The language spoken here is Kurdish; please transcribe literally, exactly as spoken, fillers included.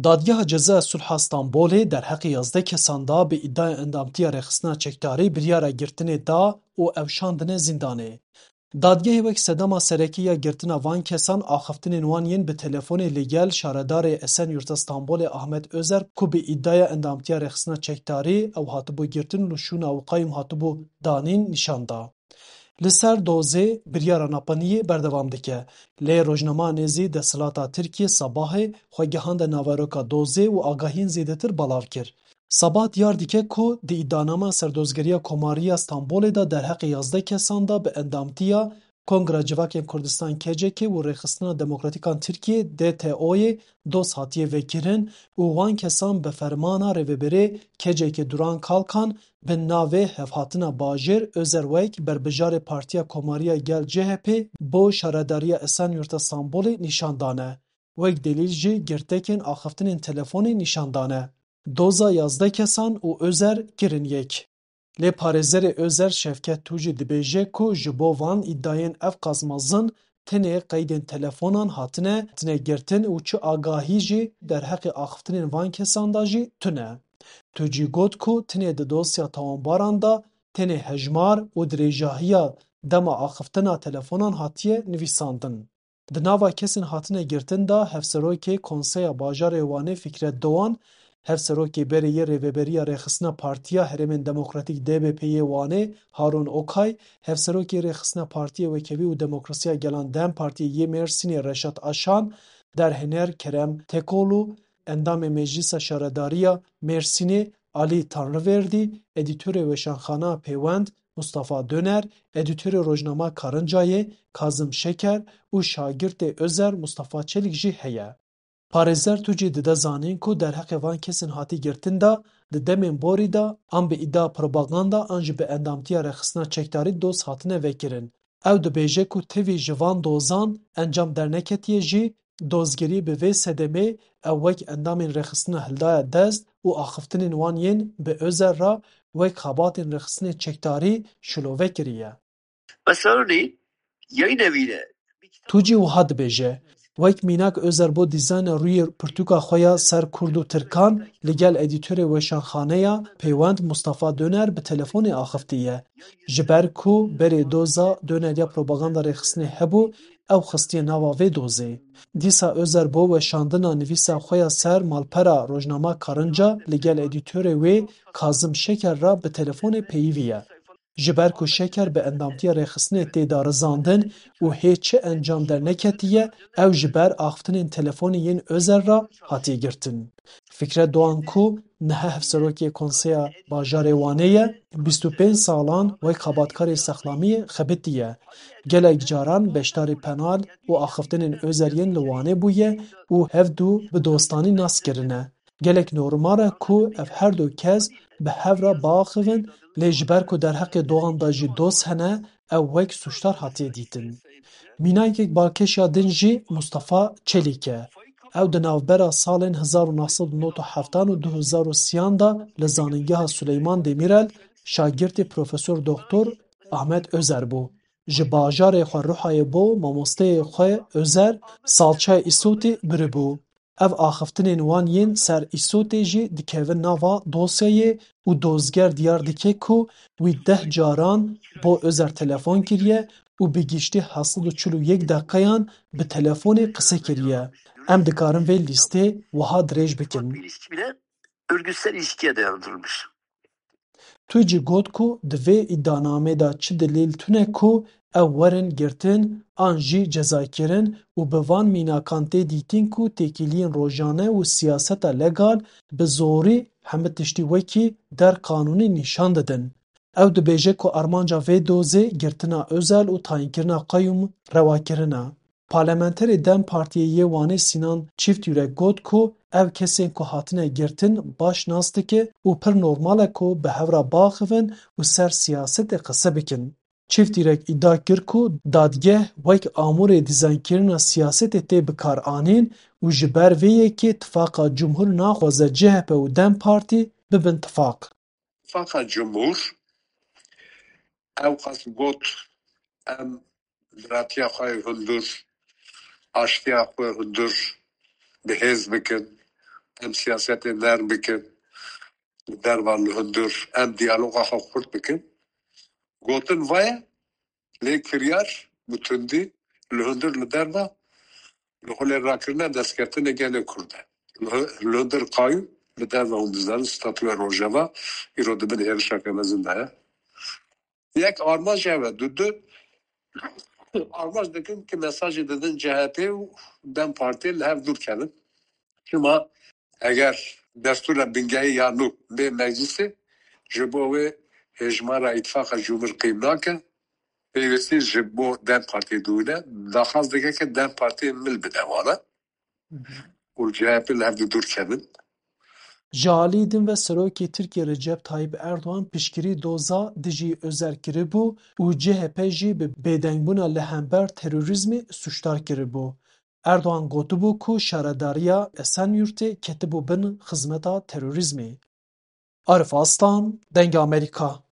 Dadgeha Cezaya Sulha Stenbolê derheqê yazdeh kesan da bi îdaya endamtiya rêxistina çekdarî biryara girtinê da û ew şandine zîndanê. Dadgehê wek sedema serekî ya girtina van kesan axiftinên wan yên bi telefonê li gel şaredarê Esenyurta Stenbolê Ahmet Özer ku bi îdaya endamtiya rêxistina çekdarî ew hatibû girtin û li şûna û qayûm hatibû danîn nîşan da. Li ser dozê biryara napeniyê berdewam dike. Lê rojnama nêzî desthilata Tirkiyê Sabahê xwe gihande naveroka dozê û agahiyên zêdetir belav kir. Sabah diyar dike ku di îdianama serdozgeriya Komariya Stenbolê de derheqê yazdeh kesan de bi endamtiya Kongra Civakên Kurdistan K C K û Rêxistina Demokratîkan Tirkiyê D T O'yê doz hatiye vekirin û wan kesan bi fermana rêveberê K C K Duran Kalkan bi navê Hevhatina Bajêr Özer wek berbijarê Partiya Komariya Gel C H P bo şaredariya Esenyurta Stenbolê nîşan dane. Wek delîl jî girtekên axiftinên telefonê nîşan dane. Doza yazdeh kesan û Özer kirin yek. Lê parêzerê Özer Şevket Tûcî dibêje ku ji bo van îdayên ev qas mezin tenê qeydên telefonan hatine, hatine girtin û çi agahî jî derheqê axiftinên van kesan de jî tune. Tûcî got ku tenê di dosya tawanbaran de tenê hejmar û dirêjahiya dema axiftina telefonan hatiye nivîsandin. Di nava kesên hatine girtin de Hevserokê Konseya Bajarê Wanê Fikret Doğan, Hevserokê berê yê Rêveberiya Rêxistina Partiya Herêmên Demokratîk D B P yê Wanê Harun Okay, Hevserokê Rêxistina Partiyê Wekhevî û Demokrasiya Gelan DEM Partiyê yê Mêrsînê Reşat Aşan, derhêner Kerem Tekoglu, endamê Meclisa Şaredariya Mêrsînê Alî Tanriverdî, edîtorê Weşanxana Pêwend Mustafa Döner, edîtorê rojnama Karincayê Kazim Şeker û şagirtê Özer Mustafa Çelik jî heye. Parêzer Tûcî dide zanîn ku derheqê van kesên hatî girtin de di demên borî de an bi îdia propaganda an jî bi endamtiya rêxistina çekdarî doz hatine vekirin. Ew dibêje ku tevî ji van dozan encam derneketiye jî dozgerî bi vê sedemê ew wek endamên rêxistina hildaye dest û axiftinên wan yên bi Özer re wek xebatên rêxistinê çekdarî şilove kiriye. Mesela örneğin yayın evine Tûcî wiha dibêje, wek mînak Özer bo dîzayna rûyê pirtûka xwe ya ser Kurd û Tirkan li gel edîtorê Weşanxaneya Pêwend Mustafa Döner bi telefonê axiftiye. Ji ber ku berê doza Döner ya propaganda rêxistinê hebû, ew xistiye nava vê dozê. Dîsa Özer bo weşandina nivîsa xwe ya ser malpera rojnama Karınca li gel edîtorê wê Kazim Şeker re bi telefonê peyivî ye. Ji ber ku Şeker bi endamtiya rêxistinê tê darizandin û hê çi encam derneketiye, ew ji ber axiftinên telefonê yên Özer re hatiye girtin. Fikret Doğan ku niha hevserokê Konseya Bajarê Wanê ye, bîst û pênc salan wek xebatkarê sexlamiyê xebitiye. Gelek caran beşdarî penal û axiftinên Özer yên li Wanê bûye û hevdu bi dostanî nas kirine. Gelek normal e ku ev her du kes bi hev re biaxivin, lê ji ber ku derheqê Doğan de jî doz hene, ew wek sûcdar hatiye dîtin. Mînakek balkêş ya din jî Mustafa Çelîk e. Ew di navbera salên hezar û neh sed û nod û heft an û du hezar û sî an de li Zanîngeha Suleyman Demîrel şagirtê Profesor Doktor Ahmet Özer bû. Ji bajarê xwe Ruhayê bo mamosteyê xwe Özer salçeyê Îsotê biribû. Ev axiftinên wan yên ser Îsotê jî dikevin nava dosyayê û dozger diyar dike ku wî deh caran bo Özer telefon kiriye û bi giştî heft sed û çil û yek deqeyan bi telefonê qise kiriye. Em dikarin vê lîstê wiha dirêj bikin. Örgütsel ilişkiye dayandırılmış. Tu jî got ku di vê îdianamê de çi delîl tune ku ew werin girtin an jî cezakirin û bi van mînakan tê dîtin ku têkiliyên rojane û siyaseta legal bi zorî hemî tiştî wekî der qanûnî nîşan didin. Ew dibêje ku armanca vê dozê girtina Özel û tayînkirina qeyûm rewakirin e. Parlamenterê DEM Partiyê yê Wanê Sînan Çîftyurek got ku ev kesên ku hatine girtin baş nas dike û pir normal e ku bi hev re biaxivin û ser siyasetê qise bikin. Çîftyurek îdia kir ku dadgeh wek amûrê dîzaynkirina siyasetê tê bikaranîn û ji ber vê yekê Tifaqa Cumhur naxwaze C H P û DEM Partî bibin tifaq. Tifaqa Cumhur ew qas got, em biratiya xwe yê hundir, aştiya xwe hundir bi hêz bikin, em siyasetê nerm bikin, li derva li hundir em diyaloga xwe xurt bikin. Gotin va ye, lê kiryar bi tundî li hundir li derva li holê rakirine destkeftine gelê Kurd e. Li hu-, li hundir qayû li derva hûn dizanin statûya Rojava îro di bin hêrişeke mezin de ye. Yek armanc ev e, du, du armanc dikin ki mesajê didin C H P û DEM Partiyê li hev dûr kevin. Çima eger destûra bingehî ya nû bê meclisê, ji bo wê hêjmara îtifaqa cumhur qîm nake, pêwîstî ji bo DEM Partiyê dûne, daxwaz dike ki DEM Partiyê mil bide wana û li C H P li hev dû dûr kevin. Ji alî din ve Serokê Tirkiyê Recep Tayyip Erdogan piştgirî doza dijî Özel kiribû û C H P jî bi bêdengbûna li hember terorîzmê sûcdar kiribû. Erdogan gotibû ku şaredariya Esenyurtê ketibû bin xizmeta terorîzmê. Arif Aslan, Dengê Amerîka.